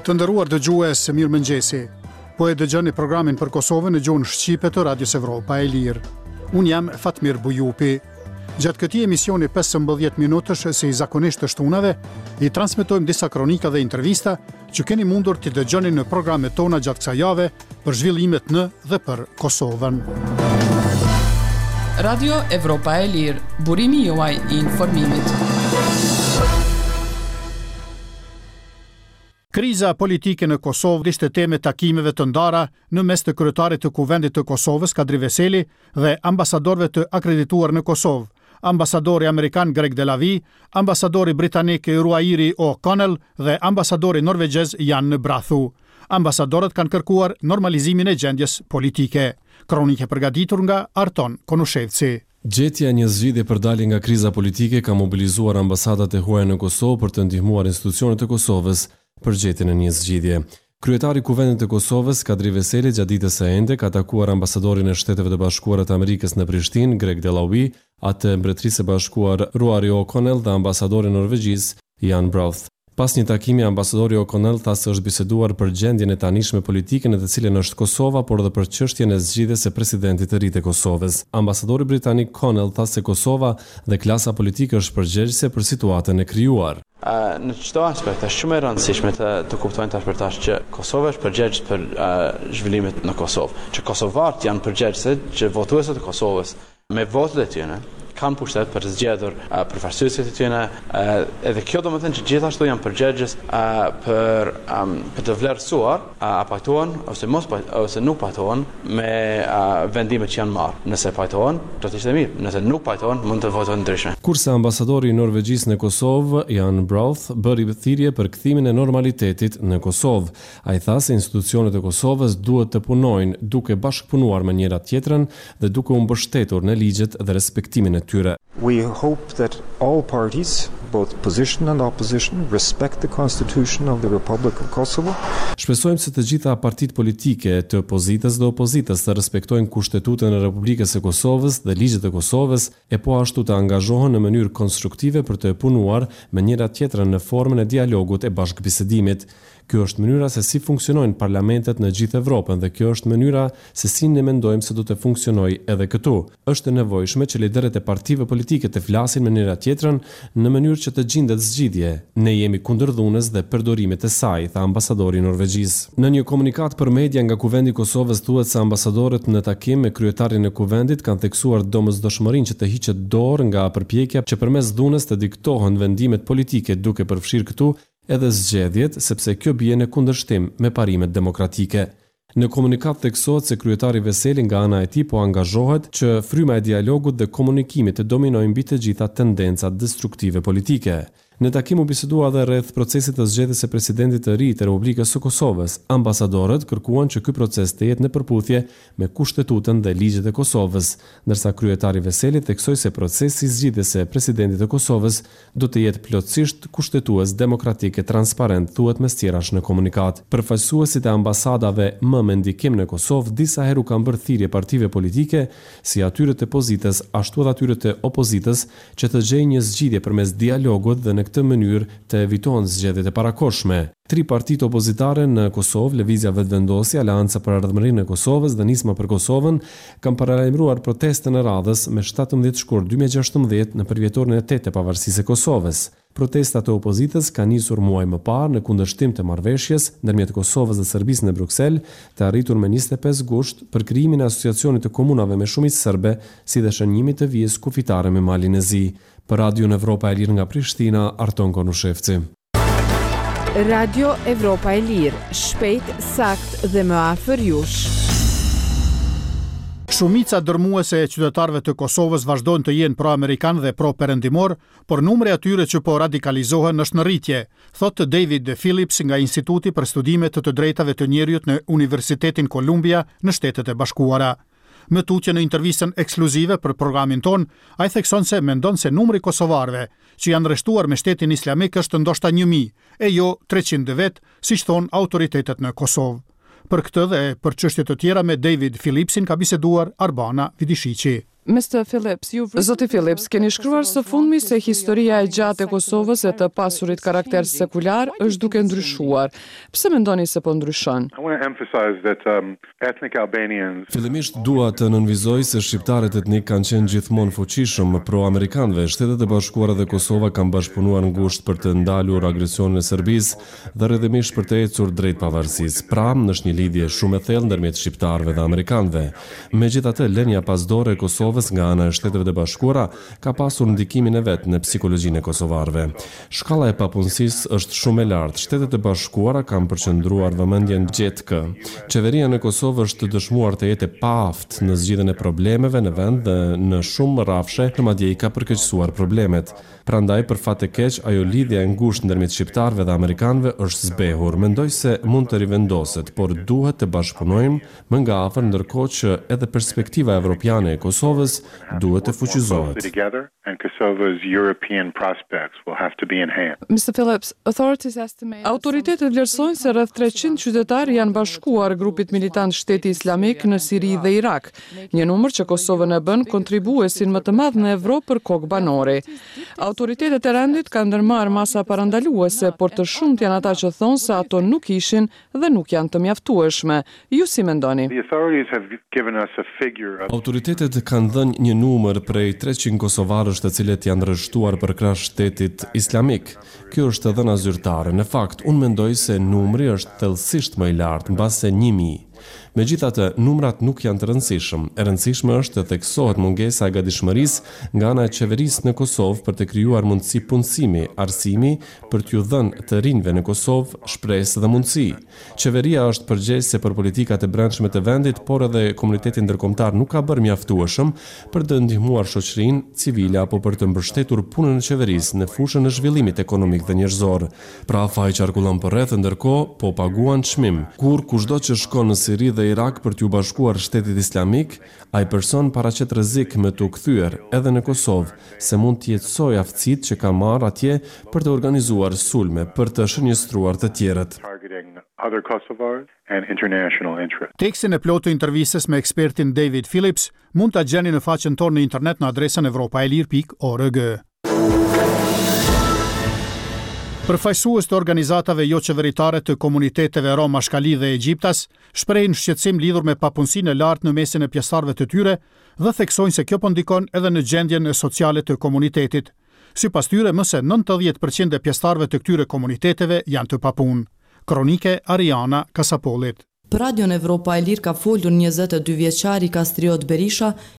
Të nderuar dëgjues, mirëmëngjesi. Po e dëgjoni programin për Kosovën në gjuhën shqipe të Radios Evropa e Lirë. Unë jam Fatmir Bujupi. Gjatë këtij emisioni 15 minutësh si zakonisht të shtunave, i transmetojmë disa kronika dhe intervista që keni mundur t'i dëgjoni në programet tona gjatë kësaj jave për zhvillimet në dhe për Kosovën. Radio Evropa e Lirë, burimi juaj i informimit. Kriza politike në Kosovë ishte temë e takimeve të ndara në mes të kryetarit të Kuvendit të Kosovës, Kadri Veseli, dhe ambasadorëve të akredituar në Kosovë, ambasadori amerikan Greg Delavi, ambasadori britanik Ruairi O'Connell dhe ambasadori norvegjez Jan Braathu. Ambasadorët kanë kërkuar normalizimin e gjendjes politike. Kronikë e përgatitur nga Arton Konushevci. Gjetja e një zgjidhje për dalje nga kriza politike ka mobilizuar ambasadat e huaja në Kosovë për të ndihmuar institucionet e Kosovës për gjetjen e një zgjidhje. Kryetari i Kuvendit të Kosovës, Kadri Veseli gjatë ditës së enjte ka takuar ambasadorin e Shteteve të Bashkuara të Amerikës në Prishtinë, Greg Delawie, atë të Mbretërisë së Bashkuar, Ruari O'Connell dhe ambasadorin e Norvegjisë, Jan Braathu. Pas një takimi, ambasadori O'Connell tha se është biseduar për gjendjen e tanishme politike në të cilën është Kosova, por edhe për çështjen e zgjidhjes së presidentit të ri të Kosovës. Ambasadori britanik Connell tha se Kosova dhe klasa politike është përgjegjëse për situatën e krijuar. Në çdo aspekt është shumë e rëndësishme të të kuptojnë tash për tash që Kosova është përgjegjës për zhvillimet në Kosovë, që kosovarët janë përgjegjës, që votuesit e Kosovës Me votat e tyre kanë pushtet për të zgjedhur përfaqësuesit e tyre, edhe kjo domethënë që gjithashtu janë përgjegjës për për të vlerësuar a pajtohen ose mos ose nuk pajtohen me vendimet që janë marrë. Nëse pajtohen, do të ishte mirë, nëse nuk pajtohen, mund të votojnë ndryshe. Kurse ambasadori i Norvegjisë në Kosovë, Jan Braathu, bëri thirrje për kthimin e normalitetit në Kosovë. Ai tha se institucionet e Kosovës duhet të punojnë duke bashkëpunuar me njëra-tjetrën dhe duke u mbështetur në ligjet dhe respektimin e tyre. We hope that all parties, both position and opposition, respect the Constitution of the Republic of Kosovo. Shpresojmë se të gjitha partitë politike, të pozitës dhe opozitës të respektojnë Kushtetutën e Republikës së Kosovës dhe ligjet e Kosovës, e po ashtu të angazhohen në mënyrë konstruktive për të punuar me njëra-tjetrën në formën e dialogut e bashkëbisedimit. Kjo është mënyra se si funksionojnë parlamentet në gjithë Evropën dhe kjo është mënyra se si ne mendojmë se do të funksionojë edhe këtu. Është e nevojshme që liderët e partive politike të flasin me njëra-tjetrën në mënyrë që të gjindet zgjidhje. Ne jemi kundër dhunës dhe përdorimit të saj, tha ambasadori i Norvegjisë. Në një komunikatë për media nga Kuvendi i Kosovës thuhet se ambasadorët në takim me kryetarin e Kuvendit kanë theksuar domosdoshmërinë që të hiqet dorë nga përpjekja që përmes dhunës të diktohen vendimet politike duke përfshirë këtu edhe zgjedhjet, sepse kjo bie në kundërshtim me parimet demokratike. Në komunikatë theksohet se kryetari Veseli nga ana e tij po angazhohet që fryma e dialogut dhe komunikimit të dominojë mbi të gjitha tendencat destruktive politike. Në takim u bisedua edhe rreth procesit të zgjedhjes së presidentit të ri të Republikës së Kosovës. Ambasadorët kërkuan që ky proces të jetë në përputhje me Kushtetutën dhe ligjet e Kosovës, ndërsa kryetari Veseli theksoi se procesi i zgjidhjes së presidentit të Kosovës do të jetë plotësisht kushtetues, demokratik e transparent, thuhet mes tjerash në komunikatë. Përfaqësuesit e ambasadave më me ndikim në Kosovë disa herë u kanë bërë thirrje partive politike, si atyre të pozitës ashtu edhe atyre të opozitës, që të gjejnë një zgjidhje përmes dialogut dhe në këtë mënyrë të evitohen zgjedhjet e parakohshme. Tri partitë opozitare në Kosovë, Lëvizja Vetëvendosje, Aleanca për Ardhmërinë e Kosovës dhe Nisma për Kosovën, kanë paralajmëruar protestën e radhës me 17 shkurt 2016 në përvjetorin e tetë të pavarësisë së Kosovës. Protestat e opozitës kanë nisur muaj më parë në kundërshtim të marrëveshjes ndërmjet Kosovës dhe Serbisë në Bruksel, të arritur më 25 gusht, për krijimin e Asociacionit të Komunave me shumicë serbe, si dhe shënjimit të vijës kufitare me Malin e Zi. Për Radion Evropa e Lirë nga Prishtina, Arton Konushevci. Radio Evropa e Lirë, shpejt, saktë dhe më afër jush. Shumica dërmuese e qytetarëve të Kosovës vazhdojnë të jenë pro-amerikan dhe pro-perëndimor, por numri i atyre që po radikalizohen është në rritje, thotë David Phillips nga Instituti për Studime të të Drejtave të Njeriut në Universitetin Columbia në Shtetet e Bashkuara. Më tutje në intervistën ekskluzive për programin tonë, ai thekson se mendon se numri i kosovarëve që janë rreshtuar me Shtetin Islamik është ndoshta 1000, e jo 300 vetë, siç thonë autoritetet në Kosovë. Për këtë dhe për çështje të tjera me David Phillipsin ka biseduar Arbana Vidishiqi. Mister Phillips, Zoti Phillips, keni shkruar së fundmi se historia e gjatë e Kosovës e të pasurit karakter sekular është duke ndryshuar. Pse mendoni se po ndryshon? Fillimisht dua të nënvizoj se shqiptarët etnikë kanë qenë gjithmonë fuqishëm pro amerikanëve. Shtetet e Bashkuara dhe Kosova kanë bashkëpunuar ngushtë për të ndalur agresionin e Serbisë dhe rrjedhimisht për të ecur drejt pavarësisë. Pra, është një lidhje shumë e thellë ndërmjet shqiptarëve dhe amerikanëve. Megjithatë, lënia pas dore e Kosovës nga ana e Shteteve të Bashkuara ka pasur ndikimin e vet në psikologjinë e kosovarëve. Shkalla e papunësisë është shumë e lartë, Shtetet e Bashkuara kanë përqendruar vëmendjen gjetkë. Qeveria në Kosovë është dëshmuar të jetë e paaftë në zgjidhjen e problemeve në vend dhe në shumë rrafshe madje i ka përkeqësuar problemet. Prandaj, për fat të keq, ajo lidhja e ngushtë ndërmjet shqiptarëve dhe amerikanëve është zbehur. Mendoj se mund të rivendoset, por duhet të bashkëpunojmë më nga afër ndërkohë që edhe perspektiva evropiane e Kosovës duhet të fuqizohet. Autoritetet vlerësojnë se rreth 300 qytetarë janë bashkuar grupit militant Shteti Islamik në Siri dhe Irak. Një numër që Kosovën e bën kontribuesin më të madh në Evropë për kokë banori. Autoritetet e rendit kanë ndërmarrë masa parandaluese, por të shumtë janë ata që thonë se ato nuk ishin dhe nuk janë të mjaftueshme. Ju si mendoni? Autoritetet kanë dhënë një numër prej 300 kosovarësh të cilët janë rreshtuar përkrah Shtetit Islamik. Kjo është e dhëna zyrtare. Në fakt, unë mendoj se numri është thellësisht më i lartë, mbase 1000. Megjithatë, numrat nuk janë të rëndësishëm. E rëndësishme është të theksohet mungesa e gatishmërisë nga ana e qeverisë në Kosovë për të krijuar mundësi punësimi, arsimi, për t'ju dhënë të rinjve në Kosovë shpresë dhe mundësi. Qeveria është përgjegjëse për politikat e brendshme të vendit, por edhe komuniteti ndërkombëtar nuk ka bërë mjaftueshëm për të ndihmuar shoqërinë civile apo për të mbështetur punën e qeverisë në fushën e zhvillimit ekonomik dhe njerëzor. Pra faji qarkullon përreth e ndërkohë po paguan çmim. Kur kushdo që shkon në Siri dhe Irak për t'iu bashkuar Shtetit Islamik, ai person paraqet rrezik me t'u kthyer edhe në Kosovë, se mund t'i jetësojë aftësitë që ka marrë atje për të organizuar sulme, për të shënjestruar të tjerët. Tekstin e plotë të intervistës me ekspertin David Phillips mund ta gjeni në faqen tonë në internet në adresën evropaelire.org. Përfaqësues të organizatave joqeveritare të komuniteteve rom, ashkali dhe egjiptas shprehin shqetësim lidhur me papunësinë e lartë në mesin e pjesëtarëve të tyre dhe theksojnë se kjo po ndikon edhe në gjendjen sociale të komunitetit. Sipas tyre, më se 90 për qind e pjesëtarëve të këtyre komuniteteve janë të papunë. Kronikë e Ariana Kasapollit. Për Radion Evropa e Lirë ka folur 22 vjeçari Kastriot Berisha.